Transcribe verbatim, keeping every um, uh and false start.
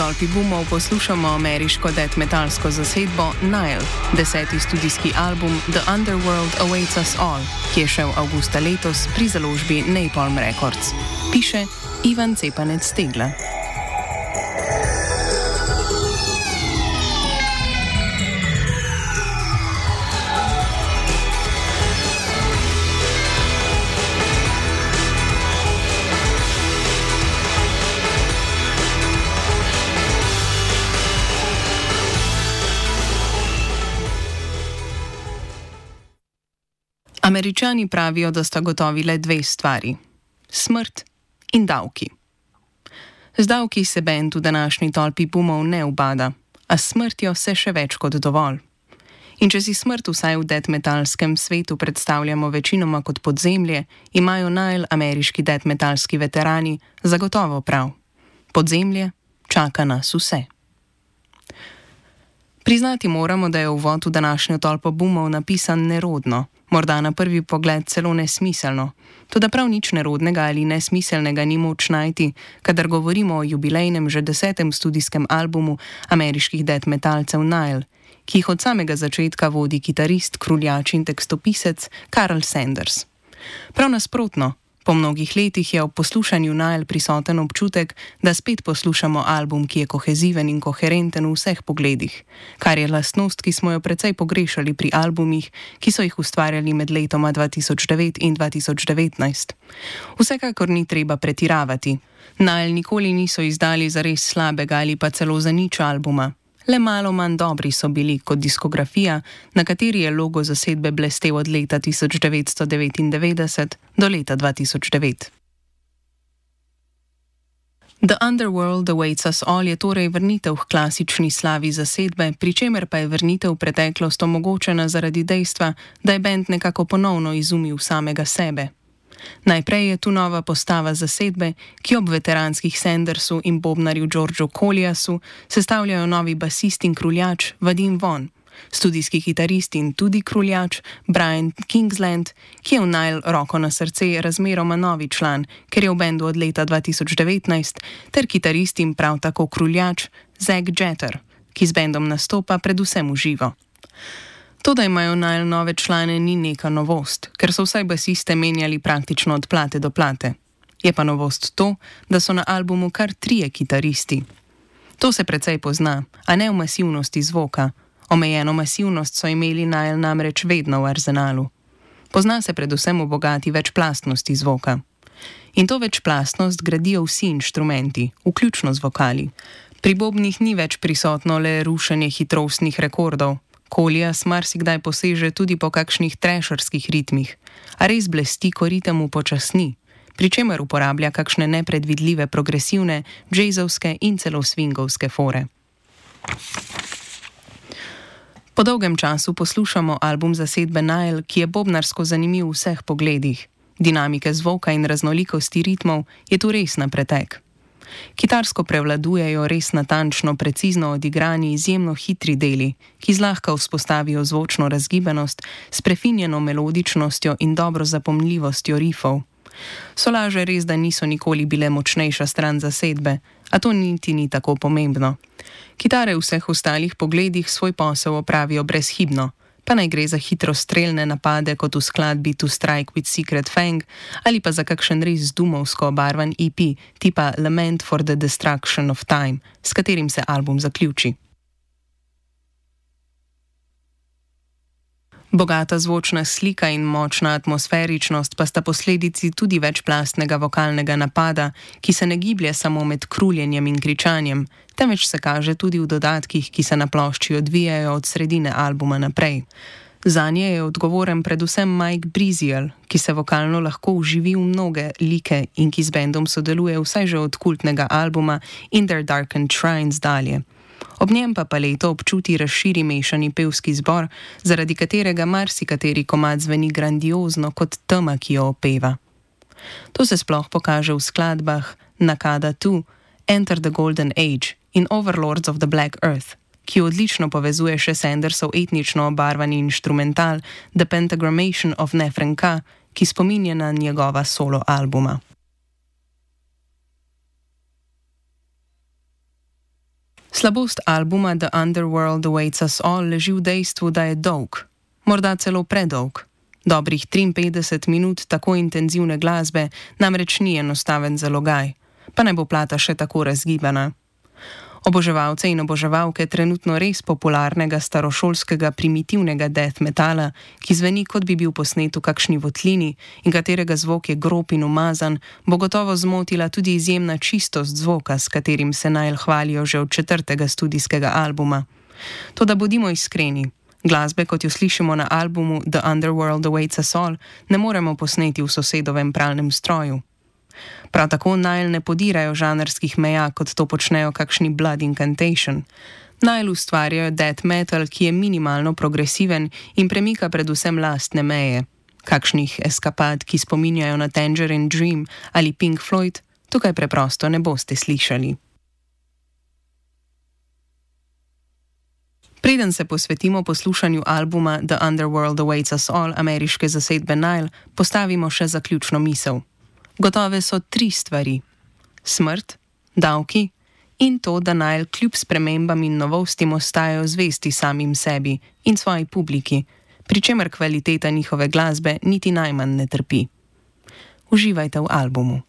tolpi boomov poslušamo ameriško death metalsko zasedbo Nile, deseti studijski album The Underworld Awaits Us All, ki je šel avgusta letos pri založbi Napalm Records. Piše Ivan Cepanec-Stegla. Američani pravijo, da sta gotovi le dve stvari: smrt in davki. Z davki se bend v današnji tolpi boomov ne ubada, a s smrtjo se še več kot dovolj. In če si smrt vsaj v death metalskem svetu predstavljamo večinoma kot podzemlje, imajo Nile ameriški death metalski veterani zagotovo prav. Podzemlje čaka nas vse. Priznati moramo, da je uvod v današnjo tolpo boomov napisan nerodno, morda na prvi pogled celo nesmiselno, toda prav nič nerodnega ali nesmiselnega ni moč najti, kadar govorimo o jubilejnem že desetem studijskem albumu ameriških death metalcev Nile, ki jih od samega začetka vodi kitarist, kruljač in tekstopisec Karl Sanders. Prav nasprotno, po mnogih letih je ob poslušanju Nile prisoten občutek, da spet poslušamo album, ki je koheziven in koherenten v vseh pogledih, kar je lastnost, ki smo jo precej pogrešali pri albumih, ki so jih ustvarjali med letoma dva tisoč devet in dva tisoč devetnajst. Vsekakor ni treba pretiravati. Nile nikoli niso izdali zares slabega ali pa celo za nič albuma. Le malo manj dobri so bili kot diskografija, na kateri je logo zasedbe blestel od leta tisoč devetsto devetindevetdeset do leta dva tisoč devet. The Underworld Awaits Us All je torej vrnitev k klasični slavi zasedbe, pri čemer pa je vrnitev v preteklost omogočena zaradi dejstva, da je bend nekako ponovno izumil samega sebe. Najprej je tu nova postava zasedbe, ki ob veteranskih Sandersu in bobnarju Georgeu Colliasu sestavljajo novi basist in kruljač Vadim Vaughn, studijski kitarist in tudi kruljač Brian Kingsland, ki je v Nile roko na srce razmeroma novi član, ker je v bendu od leta dva tisoč devetnajst, ter kitarist in prav tako kruljač Zack Jeter, ki z bendom nastopa predvsem v živo. To, da imajo Nile nove člane, ni neka novost, ker so vsaj basiste menjali praktično od plate do plate. Je pa novost to, da so na albumu kar trije kitaristi. To se precej pozna, a ne v masivnosti zvoka. Omejeno masivnost so imeli Nile namreč vedno v arzenalu. Pozna se predvsem v bogati večplastnosti zvoka. In to večplastnost gradijo vsi inštrumenti, vključno z vokali. Pri bobnih ni več prisotno le rušenje hitrostnih rekordov. Collias marsikdaj poseže tudi po kakšnih trasherskih ritmih, a res blesti, ko ritem upočasni, pri čemer uporablja kakšne nepredvidljive progresivne, jazzovske in celo swingovske fore. Po dolgem času poslušamo album zasedbe Nile, ki je bobnarsko zanimiv v vseh pogledih. Dinamike zvoka in raznolikosti ritmov je tu res na pretek. Kitarsko prevladujejo res natančno, precizno odigrani, izjemno hitri deli, ki zlahka vzpostavijo zvočno razgibanost s prefinjeno melodičnostjo in dobro zapomljivostjo rifov. Solaže res, da niso nikoli bile močnejša stran zasedbe, a to niti ni tako pomembno. Kitare v vseh ostalih pogledih svoj posel opravijo brezhibno, pa naj gre za hitrostrelne napade kot v skladbi To Strike with Secret Fang ali pa za kakšen res dumovsko obarvan E P tipa Lament for the Destruction of Time, s katerim se album zaključi. Bogata zvočna slika in močna atmosferičnost pa sta posledici tudi večplastnega vokalnega napada, ki se ne giblje samo med kruljenjem in kričanjem, temveč se kaže tudi v dodatkih, ki se na plošči odvijajo od sredine albuma naprej. Zanje je odgovoren predvsem Mike Breeziel, ki se vokalno lahko vživi v mnoge like in ki z bendom sodeluje vsaj že od kultnega albuma In Their Darkened Shrines dalje. Ob njem pa paleto občuti razširi mešani pevski zbor, zaradi katerega marsikateri komad zveni grandiozno kot tema, ki jo opeva. To se sploh pokaže v skladbah Nakada dva, Enter the Golden Age in Overlords of the Black Earth, ki odlično povezuje še Sandersov etnično obarvani inštrumental The Pentagrammation of Nefren Ka, ki spominja na njegova solo albuma. Slabost albuma The Underworld Awaits Us All leži v dejstvu, da je dolg, morda celo predolg. Dobrih triinpetdeset minut tako intenzivne glasbe namreč ni enostaven zalogaj, pa naj bo plata še tako razgibana. Oboževalce in oboževalke trenutno res popularnega starošolskega primitivnega death metala, ki zveni kot bi bil posnet v kakšni votlini in katerega zvok je grob in umazan, bo gotovo zmotila tudi izjemna čistost zvoka, s katerim se Nile hvalijo že od četrtega studijskega albuma. Toda bodimo iskreni, glasbe, kot jo slišimo na albumu The Underworld Awaits Us All, ne moremo posneti v sosedovem pralnem stroju. Prav tako Nile ne podirajo žanrskih meja, kot to počnejo kakšni Blood Incantation. Nile ustvarjajo death metal, ki je minimalno progresiven in premika predvsem lastne meje. Kakšnih eskapad, ki spominjajo na Tangerine Dream ali Pink Floyd, tukaj preprosto ne boste slišali. Preden se posvetimo poslušanju albuma The Underworld Awaits Us All ameriške zasedbe Nile, postavimo še zaključno misel. Gotove so tri stvari: smrt, davki in to, da Nile kljub spremembam in novostim ostajajo zvesti samim sebi in svoji publiki, pri čemer kvaliteta njihove glasbe niti najmanj ne trpi. Uživajte v albumu.